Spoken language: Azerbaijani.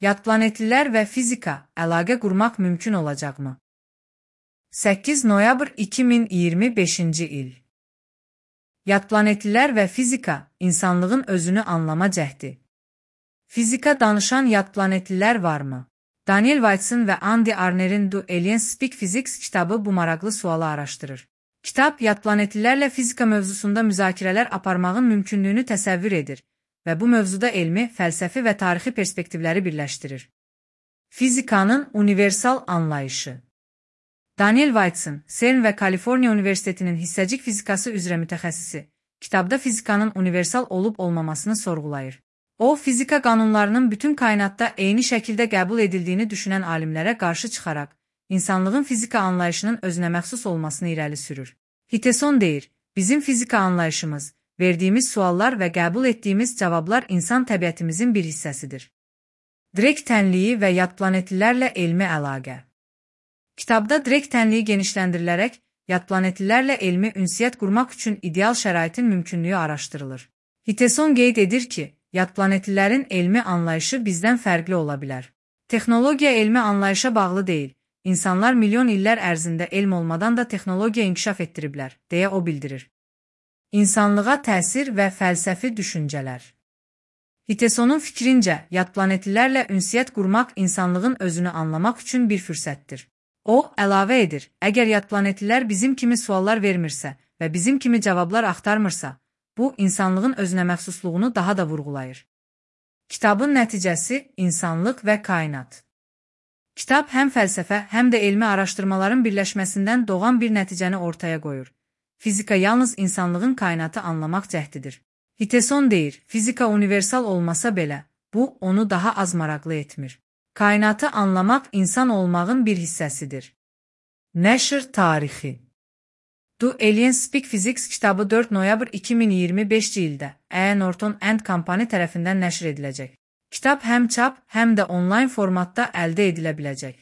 Yadplanetliler və fizika əlaqə qurmaq mümkün olacaqmı? 8 noyabr 2025-ci il. Yadplanetliler və fizika insanlığın özünü anlama cəhdi. Fizika danışan yadplanetliler varmı? Daniel Whiteson və Andy Arner'in Do Aliens Speak Physics kitabı bu maraqlı sualı araşdırır. Kitab, yadplanetlilərlə fizika mövzusunda müzakirələr aparmağın mümkünlüyünü təsəvvür edir və bu mövzuda elmi, fəlsəfi və tarixi perspektivləri birləşdirir. Fizikanın universal anlayışı. Daniel Whiteson, CERN və Kaliforniya Universitetinin hissəcik fizikası üzrə mütəxəssisi, kitabda fizikanın universal olub-olmamasını sorğulayır. O, fizika qanunlarının bütün kainatda eyni şəkildə qəbul edildiyini düşünən alimlərə qarşı çıxaraq, insanlığın fizika anlayışının özünə məxsus olmasını irəli sürür. Hiteson deyir, bizim fizika anlayışımız, verdiyimiz suallar və qəbul etdiyimiz cavablar insan təbiətimizin bir hissəsidir. Direkt tənliyi və yadplanetlilərlə elmi əlaqə. Kitabda direkt tənliyi genişləndirilərək, yadplanetlilərlə elmi ünsiyyət qurmaq üçün ideal şəraitin mümkünlüyü araşdırılır. Hiteson qeyd edir ki, yadplanetlilərin elmi anlayışı bizdən fərqli ola bilər. Texnologiya elmi anlayışa bağlı deyil. İnsanlar milyon illər ərzində elm olmadan da texnologiya inkişaf etdiriblər, deyə o bildirir. İnsanlığa təsir və fəlsəfi düşüncələr. Hitesonun fikrincə, yadplanetlilərlə ünsiyyət qurmaq insanlığın özünü anlamaq üçün bir fürsətdir. O, əlavə edir, əgər yadplanetlilər bizim kimi suallar vermirsə və bizim kimi cavablar axtarmırsa, bu, insanlığın özünə məxsusluğunu daha da vurğulayır. Kitabın nəticəsi, insanlıq və kainat. Kitab həm fəlsəfə, həm də elmi araşdırmaların birləşməsindən doğan bir nəticəni ortaya qoyur. Fizika yalnız insanlığın kainatı anlamaq cəhdidir. Hiteson deyir, fizika universal olmasa belə, bu, onu daha az maraqlı etmir. Kainatı anlamaq insan olmağın bir hissəsidir. Nəşr tarixi. Do Aliens Speak Physics kitabı 4 noyabr 2025-ci ildə E. Norton and Company tərəfindən nəşr ediləcək. Kitab həm çap, həm də onlayn formatda əldə edilə biləcək.